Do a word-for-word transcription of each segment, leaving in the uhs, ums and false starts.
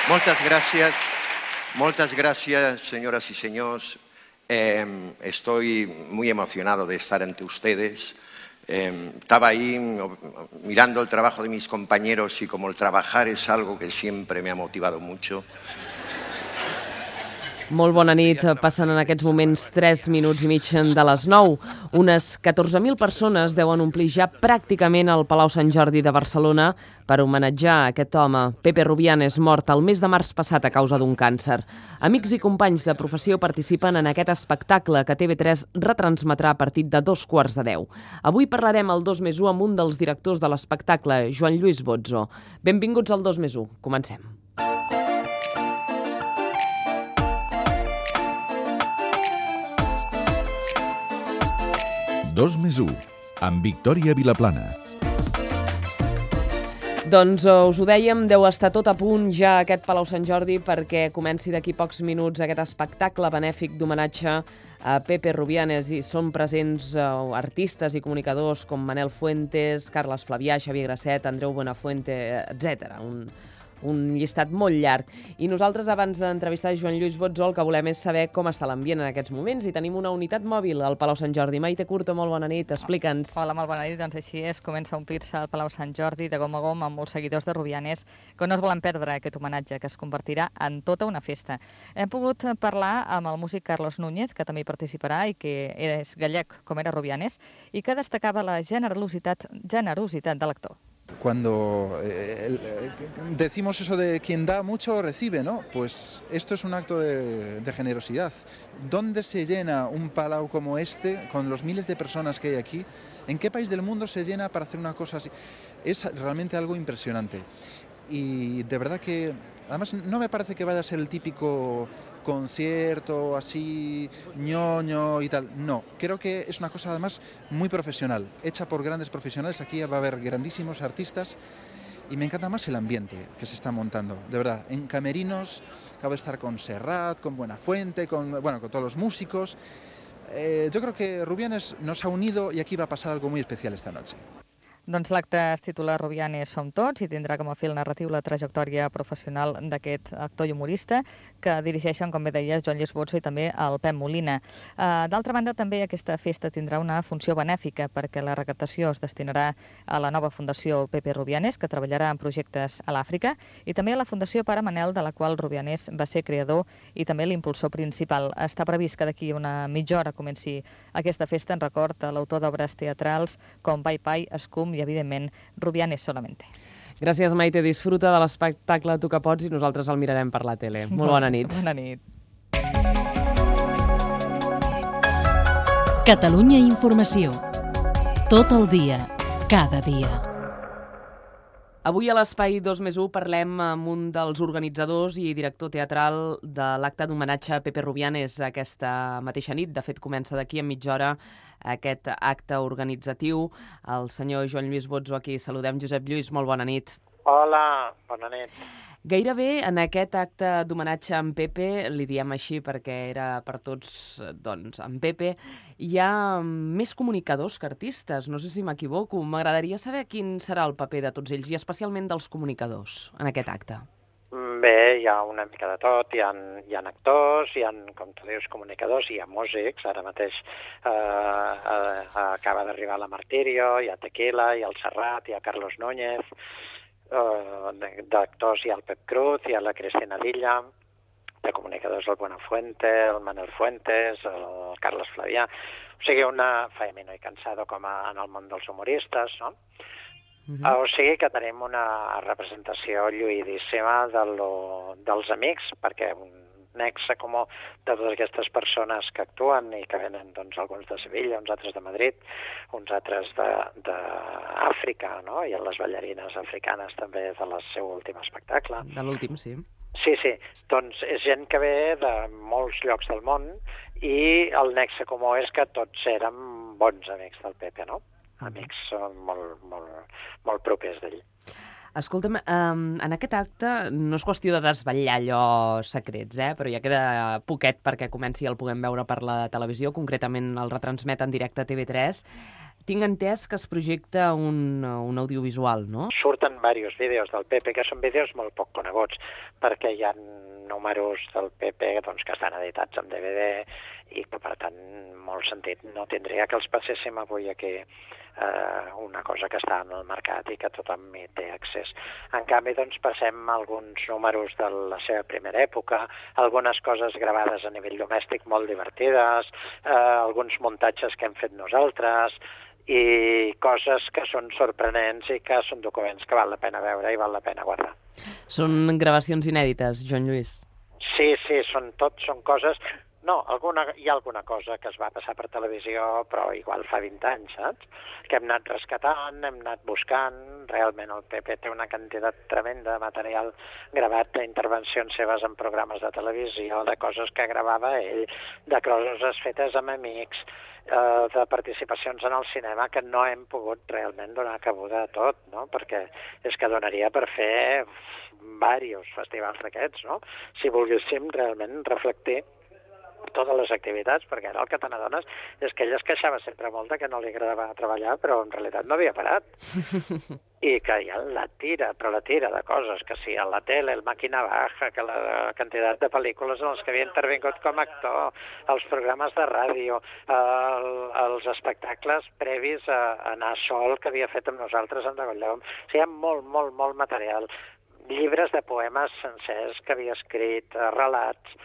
Muchas gracias, muchas gracias, señoras y señores. Eh, estoy muy emocionado de estar ante ustedes. Eh, estaba ahí mirando el trabajo de mis compañeros y como el trabajar es algo que siempre me ha motivado mucho. Molt bona nit. Passen en aquests moments tres minuts i mig de les nou. Unes catorze mil persones deuen omplir ja pràcticament el Palau Sant Jordi de Barcelona per homenatjar aquest home, Pepe Rubianes, mort el mes de març passat a causa d'un càncer. Amics i companys de professió participen en aquest espectacle que T V tres retransmetrà a partir de dos quarts de deu. Avui parlarem al dos més u amb un dels directors de l'espectacle, Joan Lluís Bozzo. Benvinguts al dos més u. Comencem. dos més u, amb Victòria Vilaplana. Doncs us ho dèiem, deu estar tot a punt ja aquest Palau Sant Jordi perquè comenci d'aquí pocs minuts aquest espectacle benèfic d'homenatge a Pepe Rubianes i són presents uh, artistes i comunicadors com Manel Fuentes, Carles Flavià, Xavier Grasset, Andreu Buenafuente, etcètera. Un... un llistat molt llarg. I nosaltres, abans d'entrevistar Joan Lluís Bozzo, el que volem és saber com està l'ambient en aquests moments i tenim una unitat mòbil al Palau Sant Jordi. Maite Curto, molt bona nit, explica'ns. Hola, molt bona nit. Doncs així és, comença a omplir-se el Palau Sant Jordi de gom a gom amb molts seguidors de Rubianes que no es volen perdre aquest homenatge que es convertirà en tota una festa. Hem pogut parlar amb el músic Carlos Núñez, que també hi participarà i que és gallec com era Rubianes i que destacava la generositat, generositat de l'actor. Cuando eh, decimos eso de quien da mucho recibe, ¿no? Pues esto es un acto de, de generosidad. ¿Dónde se llena un palau como este, con los miles de personas que hay aquí? ¿En qué país del mundo se llena para hacer una cosa así? Es realmente algo impresionante. Y de verdad que, además, no me parece que vaya a ser el típico concierto así ñoño y tal. No, creo que es una cosa además muy profesional, hecha por grandes profesionales. Aquí va a haber grandísimos artistas y me encanta más el ambiente que se está montando, de verdad. En camerinos acabo de estar con Serrat, con Buenafuente, con, bueno, con todos los músicos. Eh, yo creo que Rubianes nos ha unido y aquí va a pasar algo muy especial esta noche. Doncs l'acte es titula Rubianes som tots i tindrà com a fil narratiu la trajectòria professional d'aquest actor i humorista que dirigeixen, com bé deies, Joan Lluís Bozzo i també el Pep Molina. D'altra banda, també aquesta festa tindrà una funció benèfica perquè la recaptació es destinarà a la nova Fundació Pepe Rubianes, que treballarà en projectes a l'Àfrica, i també a la Fundació Pare Manel, de la qual Rubianes va ser creador i també l'impulsor principal. Està previst que d'aquí una mitja hora comenci aquesta festa en record a l'autor d'obres teatrals com Pai Pai, Escum i, evidentment, Rubianes solamente. Gràcies, Maite. Disfruta de l'espectacle Tu que pots i nosaltres el mirarem per la tele. Molt bona nit. Bona nit. Catalunya Informació. Tot el dia, cada dia. Avui a l'Espai dos més u parlem amb un dels organitzadors i director teatral de l'acte d'homenatge a Pepe Rubianes aquesta mateixa nit. De fet, comença d'aquí a mitja hora aquest acte organitzatiu. El senyor Joan Lluís Bozzo, aquí saludem. Josep Lluís, molt bona nit. Hola, bona nit. Gairebé en aquest acte d'homenatge a en Pepe, li diem així perquè era per tots, doncs, en Pepe, hi ha més comunicadors que artistes, no sé si m'equivoco. M'agradaria saber quin serà el paper de tots ells i especialment dels comunicadors en aquest acte. Bé, hi ha una mica de tot, hi ha, hi ha actors, hi ha, com tu dius, comunicadors, hi ha músics, ara mateix eh, eh, acaba d'arribar la Martirio, hi ha Tequila, hi ha el Serrat, hi ha Carlos Núñez, Uh, d'actors hi ha el Pep Cruz, hi ha la Cristina Dilla, de comunicadors el Buenafuente, el Manel Fuentes, el Carles Flavià, o sigui, una Faemino i Cansado com a, en el món dels humoristes, no? Uh-huh. uh, o sigui que tenim una representació lluïdíssima de lo, dels amics, perquè un nexe com de totes aquestes persones que actuen i que venen, doncs, alguns de Sevilla, uns altres de Madrid, uns altres d'Àfrica, no? I les ballarines africanes també de la seu últim espectacle. De l'últim, sí. Sí, sí. Doncs és gent que ve de molts llocs del món i el nexe comú és que tots érem bons amics del Pepe, no? Amics molt, molt, molt propers d'ell. Escolta'm, um, en aquest acte no és qüestió de desvetllar allò secrets, eh? Però ja queda poquet perquè comenci i el puguem veure per la televisió, concretament el retransmet en directe a T V tres. tinc entès que es projecta un, un audiovisual, no? Surten diversos vídeos del Pepe, que són vídeos molt poc coneguts, perquè hi ha números del Pepe doncs, que estan editats en D V D i que, per tant, molt sentit no tindria que els passéssim avui aquí eh, una cosa que està en el mercat i que tothom hi té accés. En canvi, doncs, passem alguns números de la seva primera època, algunes coses gravades a nivell domèstic molt divertides, eh, alguns muntatges que hem fet nosaltres, i coses que són sorprenents i que són documents que val la pena veure i val la pena guardar. Són gravacions inèdites, Joan Lluís? Sí, sí, són tot, són coses... No, alguna, hi ha alguna cosa que es va passar per televisió, però igual fa vint anys, saps? Que hem anat rescatant, hem anat buscant, realment el Pepe té una quantitat tremenda de material gravat d'intervencions seves en programes de televisió, de coses que gravava ell, de coses fetes amb amics, eh, de participacions en el cinema que no hem pogut realment donar cabuda a tot, no? Perquè és que donaria per fer diversos festivals d'aquests, no? Si volguéssim realment reflectir totes les activitats, perquè ara el que te n'adones és que ell es queixava sempre molt de que no li agradava treballar, però en realitat no havia parat. I que hi ha la tira, però la tira de coses, que sí, a la tele, el Màquina Baja, que la quantitat de pel·lícules en les que havia intervingut com a actor, els programes de ràdio, el, els espectacles previs a, a anar sol que havia fet amb nosaltres en Degollom. O sigui, hi ha molt, molt, molt material. Llibres de poemes sencers que havia escrit, relats,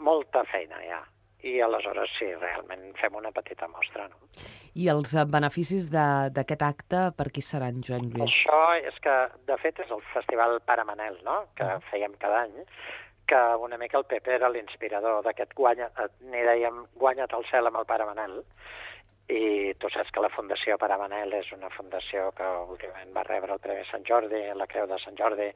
molta feina ja. I aleshores sí, realment fem una petita mostra, no? I els beneficis d'aquest acte per qui seran, Joan Lluís? Això és que, de fet, és el Festival Pare Manel, no?, que fèiem cada any, que una mica el Pepe era l'inspirador d'aquest guanya, n'hi dèiem guanya't el cel amb el Pare Manel, i tu saps que la Fundació Pare Manel és una fundació que últimament va rebre el Premi Sant Jordi, la Creu de Sant Jordi,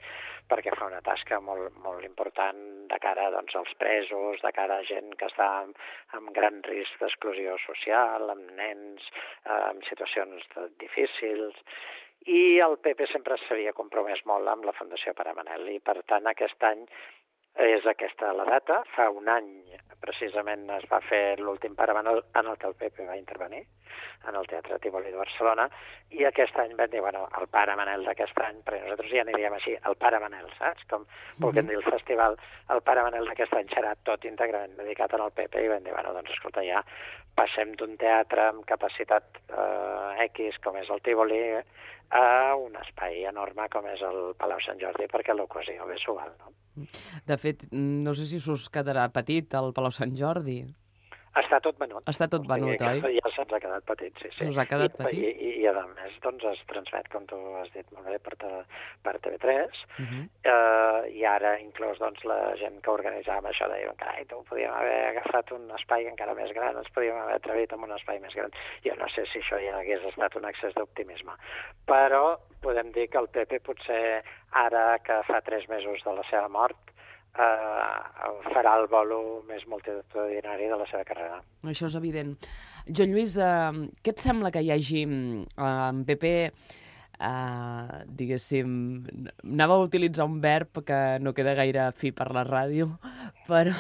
perquè fa una tasca molt, molt important de cara doncs, als presos, de cara a gent que està amb, amb gran risc d'exclusió social, amb nens, eh, en situacions difícils, i el Pepe sempre s'havia compromès molt amb la Fundació Pare Manel, i per tant aquest any és aquesta la data. Fa un any precisament es va fer l'últim Pare Manel en el que el Pepe va intervenir, en el Teatre Tívoli de Barcelona, i aquest any vam dir, bueno, el Pare Manel d'aquest any, perquè nosaltres ja n'hi diem així, el Pare Manel, saps? Com volguem dir el festival, el Pare Manel d'aquest any serà tot íntegrament dedicat al Pepe, i vam dir, bueno, doncs escolta, ja passem d'un teatre amb capacitat eh, X, com és el Tívoli, a un espai enorme com és el Palau Sant Jordi, perquè l'ocasió ve s'ho val, no? De fet, no sé si s'us quedarà petit el Palau Sant Jordi. Està tot venut. Està tot venut, oi? Ja se'ns ha quedat petit, sí, sí. Se'ns ha quedat I, petit? I, i, i a més, doncs, es transmet, com tu has dit molt bé, per, te, per T V tres, uh -huh. eh, i ara inclús doncs, la gent que organitzava això deia, carai, tu podíem haver agafat un espai encara més gran, ens podíem haver atrevit amb un espai més gran. Jo no sé si això ja hagués estat un excés d'optimisme, però podem dir que el Pepe potser ara que fa tres mesos de la seva mort Uh, farà el bolo més multitudinari de la seva carrera. Això és evident. Joan Lluís, uh, què et sembla que hi hagi uh, en Pepe, uh, diguéssim, anava a utilitzar un verb que no queda gaire fi per la ràdio, però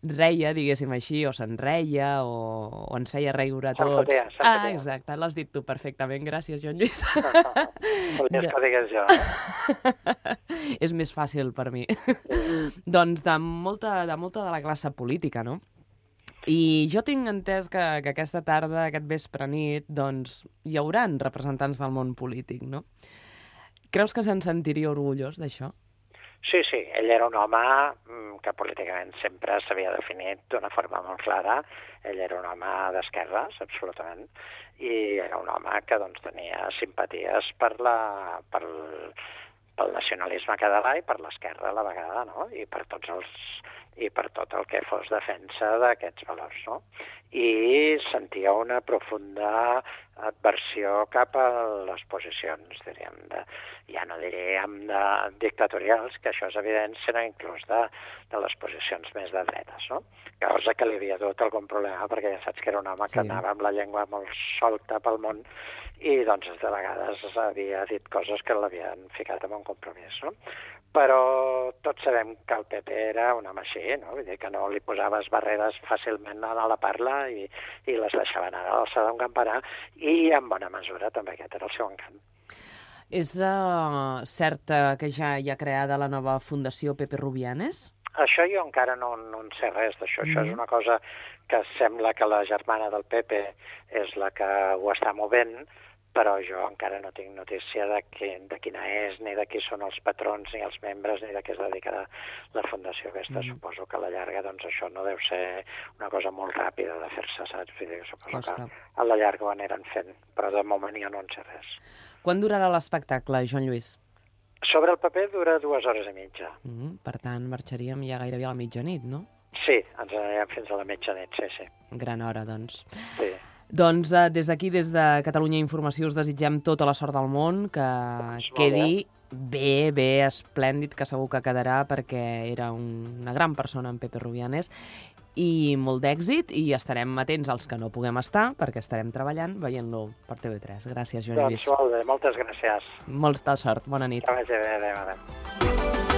reia, diguéssim així, o se'n reia, o, o ens feia riure a tots. Se'n fotia, se'n ah, fotia. exacte, l'has dit tu perfectament. Gràcies, Joan Lluís. Volies que ho digués jo. És més fàcil per mi. Doncs de molta, de molta de la classe política, no? I jo tinc entès que, que aquesta tarda, aquest vespre nit, doncs hi hauran representants del món polític, no? Creus que se'n sentiria orgullós d'això? Sí, sí, ell era un home que políticament sempre s'havia definit d'una forma molt clara. Ell era un home d'esquerres, absolutament, i era un home que doncs, tenia simpaties per la, per, pel nacionalisme català i per l'esquerra a la vegada, no? I per tots els i per tot el que fos defensa d'aquests valors, no? I sentia una profunda adversió cap a les posicions, diríem, de, ja no diríem de dictatorials, que això és evident, sinó inclús de, de les posicions més de dretes, no? Cosa que li havia dut algun problema, perquè ja saps que era un home que sí. anava amb la llengua molt solta pel món i doncs de vegades havia dit coses que l'havien ficat en un compromís, no? Però tot tots sabem que el P P era un home així, no? Vull dir que no li posaves barreres fàcilment a la parla i, i les deixava anar a l'alçada d'un campanar, i en bona mesura també aquest era el seu encant. És uh, cert uh, que ja hi ha creada la nova Fundació Pepe Rubianes? Això jo encara no, no en sé res d'això. Mm-hmm. Això és una cosa que sembla que la germana del Pepe és la que ho està movent, però jo encara no tinc notícia de, que, de quina és, ni de qui són els patrons, ni els membres, ni de què es dedicarà la fundació aquesta. Mm. Suposo que a la llarga doncs, això no deu ser una cosa molt ràpida de fer-se, saps? Vull dir, suposo Costa. que a la llarga ho aniran fent, però de moment jo no en sé res. Quan durarà l'espectacle, Joan Lluís? Sobre el paper dura dues hores i mitja. Mm, per tant, marxaríem ja gairebé a la mitjanit, no? Sí, ens anirem fins a la mitjanit, sí, sí. Gran hora, doncs. Sí. Doncs eh, des d'aquí, des de Catalunya Informació, us desitgem tota la sort del món, que doncs quedi bé, bé, esplèndid, que segur que quedarà, perquè era un, una gran persona, en Pepe Rubianes, i molt d'èxit, i estarem atents als que no puguem estar, perquè estarem treballant veient-lo per T V tres. Gràcies, Joan Lluís. Doncs molt bé, moltes gràcies. Molta sort, bona nit. Que vagi bé, adéu, adéu.